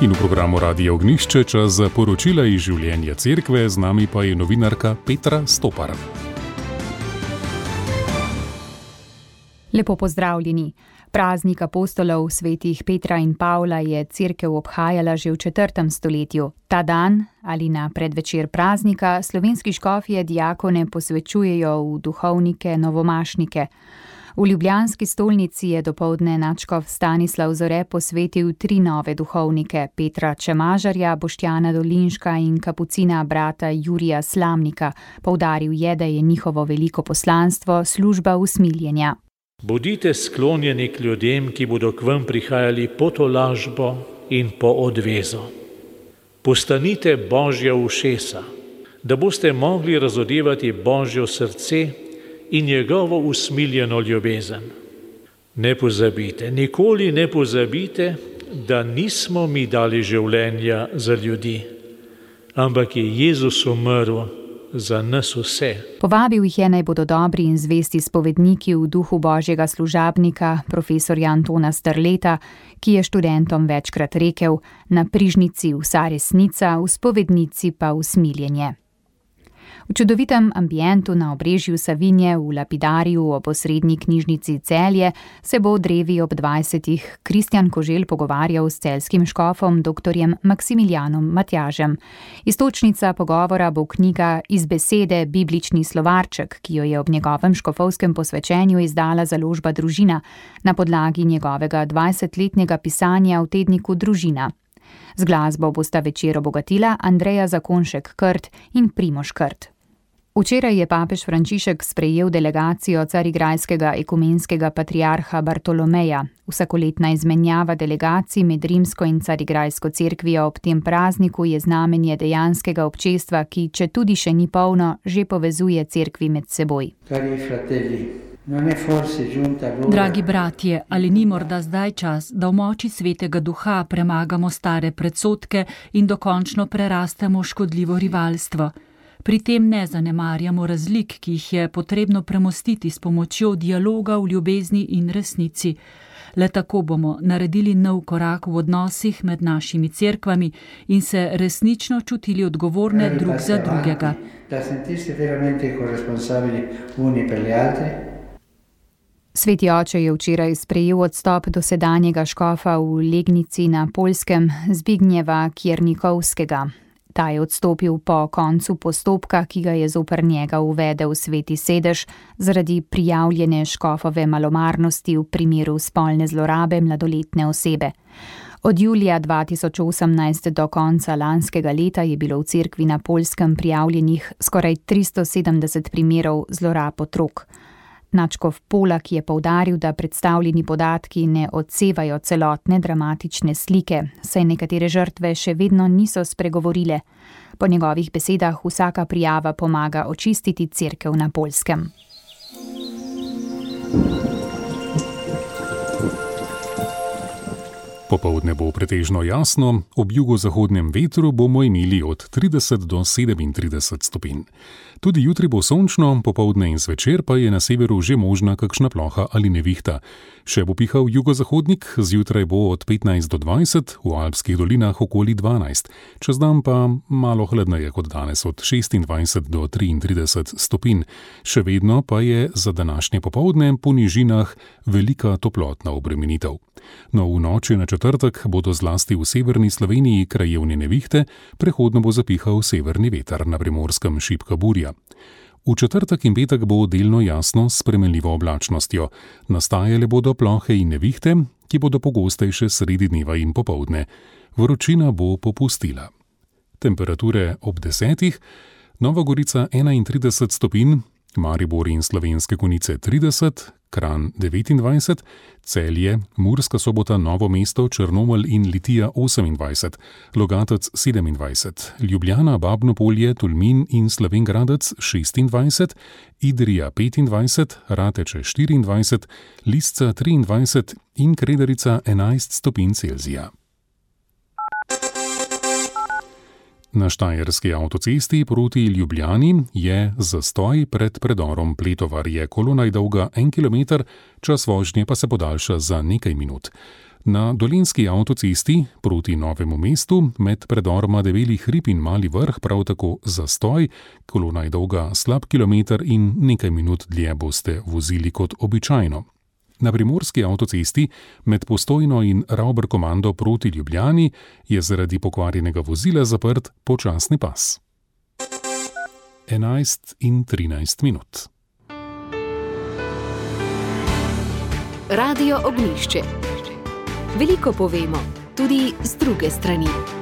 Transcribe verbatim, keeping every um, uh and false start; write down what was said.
In v programu Radia Ognjišče čas za poročila iz življenja cerkve, z nami pa je novinarka Petra Stopar. Lepo pozdravljeni. Praznik apostolov svetih Petra in Pavla je cerkev obhajala že v četrtem stoletju. Ta dan ali na predvečer praznika slovenski škofje diakone posvečujejo v duhovnike novomašnike. V ljubljanski stolnici je dopoldne nadškof Stanislav Zore posvetil tri nove duhovnike, Petra Čemažarja, Boštjana Dolinška in kapucina brata Jurija Slamnika. Poudaril je, da je njihovo veliko poslanstvo služba usmiljenja. Bodite sklonjeni k ljudem, ki bodo k vam prihajali po tolažbo in po odvezo. Postanite Božja ušesa, da boste mogli razodevati Božjo srce in njegovo usmiljeno ljubezen. Ne pozabite, nikoli ne pozabite, da nismo mi dali življenja za ljudi, ampak je Jezus umrl za nas vse. Povabil jih je, naj bodo dobri in zvesti spovedniki v duhu Božjega služabnika, profesorja Antona Strleta, ki je študentom večkrat rekel: na prižnici vsa resnica, v spovednici pa usmiljenje. V čudovitem ambientu na obrežju Savinje v Lapidariju ob osrednji knjižnici Celje se bo o drevi ob dvajsetih Kristjan Koželj pogovarjal s celjskim škofom doktorjem Maksimilijanom Matjažem. Iztočnica pogovora bo knjiga Iz besede biblični slovarček, ki jo je ob njegovem škofovskem posvečenju izdala založba Družina na podlagi njegovega dvajsetletnega pisanja v tedniku Družina. Z glasbo bosta večer obogatila Andreja Zakonšek-Krt in Primož Krt. Včeraj je papež Frančišek sprejel delegacijo carigrajskega ekumenskega patriarha Bartolomeja. Vsakoletna izmenjava delegacij med rimsko in carigrajsko cerkvijo ob tem prazniku je znamenje dejanskega občestva, ki, če tudi še ni polno, že povezuje cerkvi med seboj. Dragi bratje, ali ni morda zdaj čas, da v moči svetega duha premagamo stare predsodke in dokončno prerastemo škodljivo rivalstvo? Pri tem ne zanemarjamo razlik, ki jih je potrebno premostiti s pomočjo dialoga v ljubezni in resnici. Le tako bomo naredili nov korak v odnosih med našimi cerkvami in se resnično čutili odgovorne drug za drugega. Sveti oče je včeraj sprejel odstop dosedanjega škofa v Legnici na Poljskem Zbignjeva Kjernikovskega. Ta je odstopil po koncu postopka, ki ga je zoper njega uvedel Sveti sedež zaradi prijavljene škofove malomarnosti v primeru spolne zlorabe mladoletne osebe. Od julija dva tisoč osemnajst do konca lanskega leta je bilo v cerkvi na Poljskem prijavljenih skoraj tristo sedemdeset primerov zlorab otrok. Nadškof Polak je poudaril, da predstavljeni podatki ne odsevajo celotne dramatične slike, saj nekatere žrtve še vedno niso spregovorile. Po njegovih besedah vsaka prijava pomaga očistiti cerkev na Poljskem. Popoldne bo pretežno jasno, ob jugozahodnem vetru bomo imeli od trideset do sedemintrideset stopinj. Tudi jutri bo sončno, popoldne in zvečer pa je na severu že možna kakšna ploha ali nevihta. Še bo pihal jugozahodnik, zjutraj bo od petnajst do dvajset, v alpskih dolinah okoli dvanajst. Čez dan pa malo hladneje kot danes, od šestindvajset do triintrideset stopinj. Še vedno pa je za današnje popoldne po nižinah velika toplotna obremenitev. No, v noči na četrtek bodo zlasti v severni Sloveniji krajevne nevihte, prehodno bo zapihal severni veter, na Primorskem šibka burja. V četrtek in petek bo delno jasno s spremenljivo oblačnostjo. Nastajale bodo plohe in nevihte, ki bodo pogostejše sredi dneva in popoldne. Vročina bo popustila. Temperature ob desetih, Nova Gorica enaintrideset stopinj, Maribor in Slovenske Konjice trideset, Kranj devetindvajset, Celje, Murska Sobota, Novo mesto, Črnomelj in Litija osemindvajset, Logatec sedemindvajset, Ljubljana, Babno Polje, Tolmin in Slovenj Gradec šestindvajset, Idrija petindvajset, Rateče štiriindvajset, Lisca triindvajset in Kredarica enajst stopinj Celzija. Na štajerski avtocesti proti Ljubljani je zastoj pred predorom Pletovar, je kolona dolga en kilometer, čas vožnje pa se podaljša za nekaj minut. Na dolenjski avtocesti proti Novemu mestu med predoroma Debeli hrib in Mali vrh prav tako zastoj, kolona je dolga slab kilometer in nekaj minut dlje boste vozili kot običajno. Na primorski avtocesti med Postojno in Ravberkomando proti Ljubljani je zaradi pokvarjenega vozila zaprt počasni pas. enajst in trinajst minut. Radio Ognjišče. Veliko povemo, tudi z druge strani.